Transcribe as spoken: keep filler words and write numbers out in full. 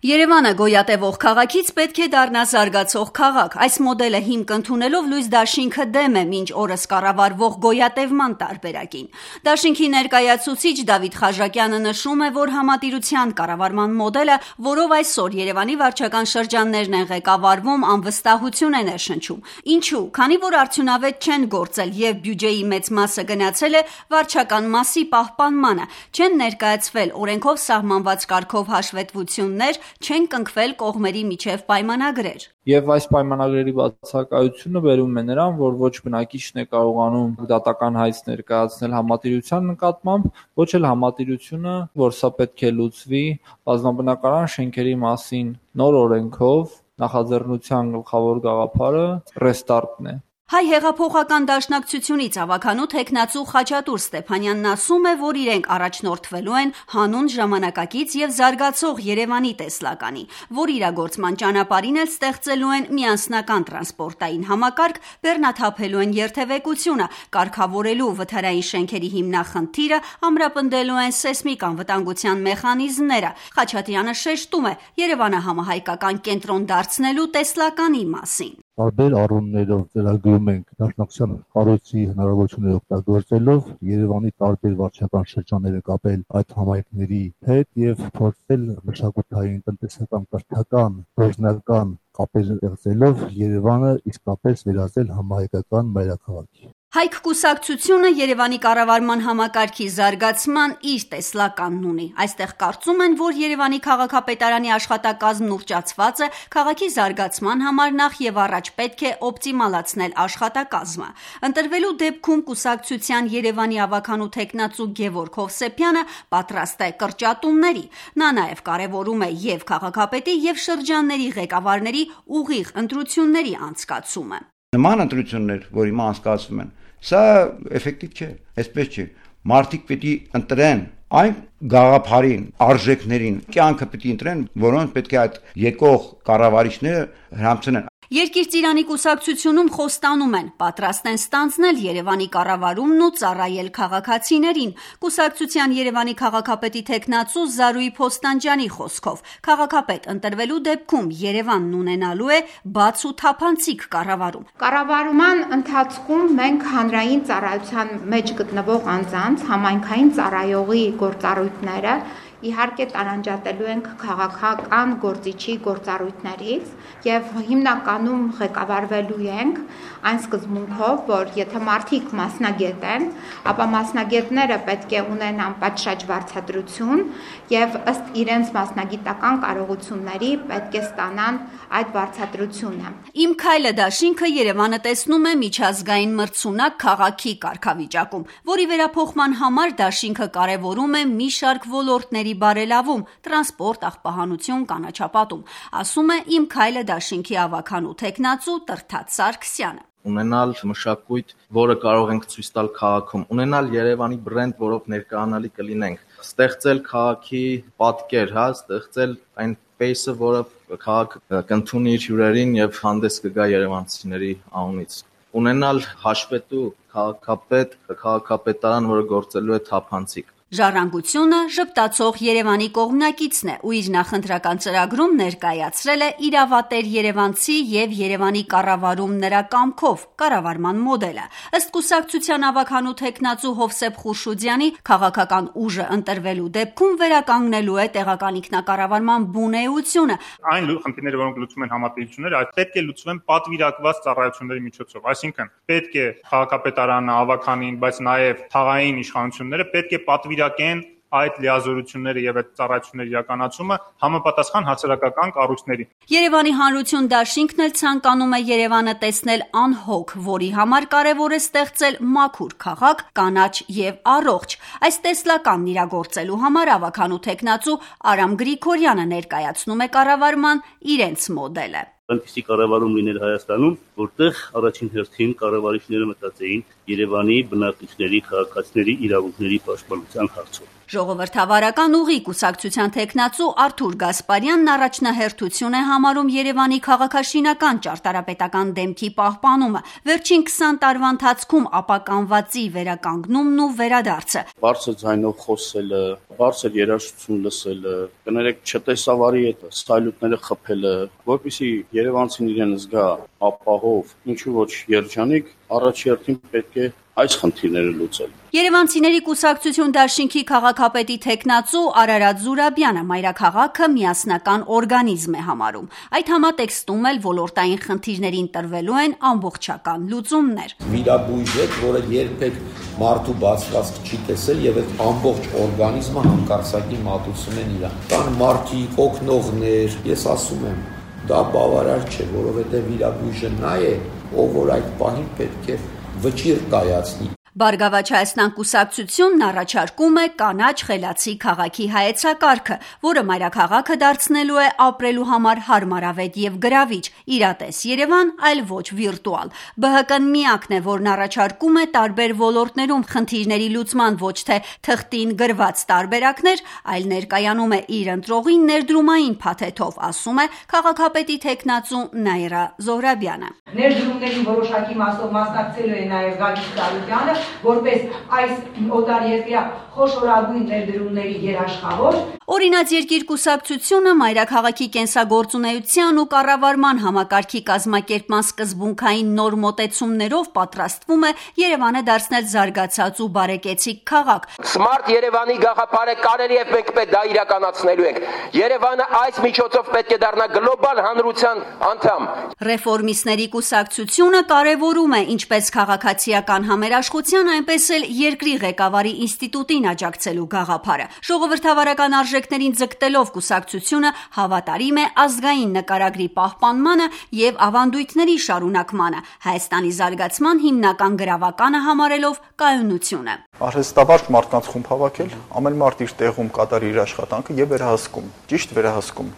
Երևանը գոյատևող քաղաքից պետք է դառնա զարգացող քաղաք։ Այս մոդելը հիմք ընդունելով լույս դաշինքը դեմ է մինչ օրս կառավարվող գոյատևման տարբերակին։ Դաշինքի ներկայացուցիչ Դավիթ Խաժակյանը նշում է, որ համատիրության կառավարման մոդելը, որով այսօր Երևանի վարչական շրջաններն են ղեկավարվում, անվստահություն է ներշնչում։ Ինչու՞։ Քանի որ արդյունավետ չեն գործել եւ բյուջեի մեծ մասը գնացել է վարչական մասի պահպանմանը, չեն ներկայացվել օրենքով սահմանված կարգով հաշվետվություններ, չեն կնքվել կողմերի միջև պայմանագրեր։ Եվ այս պայմանագրերի բացակայությունը բերում է նրան, որ ոչ բնակիչն է կարողանում դատական հայց ներկայացնել համատիրության նկատմամբ, ոչ էլ համատիրությունը, որ սա պետք է լուծվի բազմաբնակարան շենքերի մասին նոր օրենքով, նախաձեռնության գլխավոր գաղափարը ռեստարտն է։ Հայ հեղափոխական դաշնակցությունից ավականու թեկնածու Խաչատուր Ստեփանյանն ասում է, որ իրենք առաջնորդվելու են հանուն ժամանակակից եւ զարգացող Երևանի տեսլականի, որ իրագործման ճանապարհին էլ ստեղծելու են միասնական տրանսպորտային համակարգ, բեռնաթափելու են երթևեկությունը, կարգավորելու վթարային շենքերի հիմնախնդիրը, ամրապնդելու են սեյսմիկ անվտանգության մեխանիզմները։ Խաչատրյանը շեշտում է Երևանը համահայկական կենտրոն դարձնելու տեսլականի մասին։ Տարբեր առումներով ծրագրում ենք դաշնակցության կառույցի հնարավորությունները օգտագործելով Երևանի տարբեր վարչական շրջանները կապել այդ համայնքների հետ եւ փորձել մշակութային, տնտեսական, կրթական, գործնական կապեր ստեղծելով Երևանը իսկապես վերածել համահայկական մայրաքաղաքի։ Հայք կուսակցությունը Երևանի կառավարման համակարգի զարգացման իր տեսլականն ունի։ Այստեղ կարծում են, որ Երևանի քաղաքապետարանի աշխատակազմն ուռճացված է, քաղաքի զարգացման համար նախ եւ առաջ պետք է օպտիմալացնել աշխատակազմը։ Ընտրվելու դեպքում կուսակցության Երևանի ավականու թեկնածու Գևորգ Հովսեփյանը պատրաստ է կրճատումների։ Նա նաեւ կարեւորում է եւ քաղաքապետի եւ շրջանների ղեկավարների ուղիղ ընտրությունների անցկացումը։ Նման ընտրություններ, որ հիմա անցկացվում են, սա էֆեկտիվ չէ, այսպես չէ։ Մարդիկ պետք է ընտրեն այն գաղափարին, արժեքներին, կյանքը պետք է ընտրեն, որոնց պետք է այդ եկող կառավարիչները հրամցնեն։ Երկիր ծիրանի կուսակցությունում խոստանում են, պատրաստ են ստանձնել Երևանի կառավարումն ու ծառայել քաղաքացիներին։ Կուսակցության Երևանի քաղաքապետի թեկնածու Զարուհի Փոստանջյանի խոսքով, քաղաքապետ ընտրվելու դեպքում Երևանն ունենալու է բաց ու թափանցիկ կառավարում։ Կառավարման ընթացքում մենք հանրային ծառայության մեջ գտնվող անձանց համայնքային ծառայողի գործառույթները իհարկե տարանջատելու ենք քաղաքական գործիչի գործառույթներից եւ հիմնականում ղեկավարվելու ենք այն սկզբունքով, որ եթե մարդիկ մասնագետ են, ապա մասնագետները պետք է ունենան պատշաճ վարձատրություն եւ ըստ իրենց մասնագիտական կարողությունների պետք է ստանան այդ վարձատրությունը։ Իմ քայլը դաշինքը Երևանը տեսնում է միջազգային մրցունակ քաղաքի կարգավիճակում, որի վերափոխման համար դաշինքը կարևորում է մի շարք ոլորտների բարելավում, տրանսպորտ, աղբահանություն, կանաչապատում, ասում է Իմ քայլը դաշինքի ավականու թեկնածու Տրթատ Սարգսյանը։ Ունենալ մշակույթ, որը կարող ենք ցույց տալ քաղաքում, ունենալ Երևանի բրենդ, որով ներկայանալի կլինենք, ստեղծել քաղաքի պատկեր, հա, ստեղծել այն պեյսը, որը քաղաքը կընդունի իր հյուրերին եւ հանդես կգա երևանցիների անունից։ Ունենալ հաշվետու քաղաքապետ, քաղաքապետարան, որը գործելու է թափանցիկ։ Ժառանգությունը ժպտացող Երևանի կողմնակիցն է ու իր նախընտրական ծրագրում ներկայացրել է իրավատեր երևանցի եւ Երևանի կառավարում նրա կամքով կառավարման մոդելը։ Ըստ կուսակցության ավականու թեկնածու Հովսեփ Խուրշուդյանի, քաղաքական ուժը ընտրվելու դեպքում վերականգնելու է տեղական ինքնակառավարման բունեությունը։ Այն խնդիրները, որոնք լուծում են համատիրությունները, այդ պետք է լուծվեն պատվիրակված ծառայությունների միջոցով, այսինքն պետք է քաղաքապետարանը, ավականին, բայց նաեւ թաղային իշխանությունները պետք է պատվիրակեն այդ լիազորությունները եւ այդ ծառայությունների իրականացումը համապատասխան հասարակական կառույցների։ Երևանի Հանրություն դաշինքն էլ ցանկանում է Երևանը տեսնել անհոգ, որի համար կարևոր է ստեղծել մաքուր քաղաք, կանաչ եւ առողջ։ Այս տեսլականն իրագործելու համար ավականու թեկնածու Արամ Գրիգորյանը ներկայացնում է կառավարման իրենց մոդելը։ Այնպիսի կառավարում լիներ Հայաստանում, որտեղ առաջին հերթին կառավարիչները մտածեին Երևանի բնակիչների, քաղաքացիների իրավունքների պաշտպանության հարցով։ Ժողովրդավարական ուղի կուսակցության թեկնածու Արթուր Գասպարյանն առաջնահերթություն է համարում Երևանի քաղաքաշինական ճարտարապետական դեմքի պահպանումը, վերջին քսան տարվա ընթացքում ապականվածի վերականգնումն ու վերադարձը։ Բարձր ձայնով խոսելը, բարձր երաժշտություն լսելը, կներեք չտեսավարի այդ սայլուտները խփելը, որպեսզի երևանցին իրեն զգա ապահով, ինչու ոչ երջանիկ, առաջերտին պետք է այս խնդիրները լուծել։ Երևանցիների կուսակցություն դաշինքի քաղաքապետի թեկնածու Արարատ Զուրաբյանը մայրաքաղաքը միասնական օրգանիզմ է համարում։ Այդ համատեքստում էլ ոլորտային խնդիրներին տրվելու են ամբողջական լուծումներ։ Վիրաբույժ է, որը երբեք մարդու բացվածք չի տեսել եւ այդ ամբողջ օրգանիզմը հանկարծակի մատուցում են իրան։ Կան մարդիկ, օգնողներ, ես ասում եմ, դա բավարար չէ, որովհետեւ վիրաբույժը նա է, ով որ այդ պահին պետք է վճիռ կայացնի։ Բարգավաճ Հայաստան կուսակցությունն առաջարկում է կանաչ խելացի քաղաքի հայեցակարգը, որը մայրաքաղաքը դարձնելու է ապրելու համար հարմարավետ եւ գրավիչ, իրատես Երևան, այլ ոչ վիրտուալ։ Բը հը կն միակն է, որն առաջարկում է տարբեր ոլորտներում խնդիրների լուծման ոչ թե թղթին գրված տարբերակներ, այլ ներկայանում է իր ընտրողին ներդրումային փաթեթով, ասում է քաղաքապետի թեկնածու Նաիրա Զոհրաբյանը։ Ներդրումների որոշակի մասով մասնակցելու է նաև Գագիկ Ծառուկյանը, որպես այս օտարերկրյա խոշորագույն ներդրումների երաշխավոր։ Օրինաց երկիր կուսակցությունը մայրաքաղաքի կենսագործունեության ու կառավարման համակարգի կազմակերպման սկզբունքային նոր մոտեցումներով պատրաստվում է Երևանը դարձնել զարգացած ու բարեկեցիկ քաղաք։ Smart Երևանի գաղափարը կարելի է մենք պետք դա իրականացնելու ենք։ Երևանը այս միջոցով պետք է դառնա գլոբալ հանրության անդամ։ Ռեֆորմիստների կուսակցությունը կարևորում է ինչպես քաղաքացիական համերաշխության, այնպես էլ երկրի ղեկավարի ինստիտուտին աջակցելու գաղափարը։ Ժողովրդավարական արժեքներին ձգտելով կուսակցությունը հավատարիմ է ազգային նկարագրի պահպանմանը եւ ավանդույթների շարունակմանը, Հայաստանի զարգացման հիմնական գրավականը համարելով կայունությունը։ Արհեստավարժ մարդկանց խումբ հավաքել, ամեն մարդ իր տեղում կատարի իր աշխատանքը եւ վերահսկում, ճիշտ վերահսկում։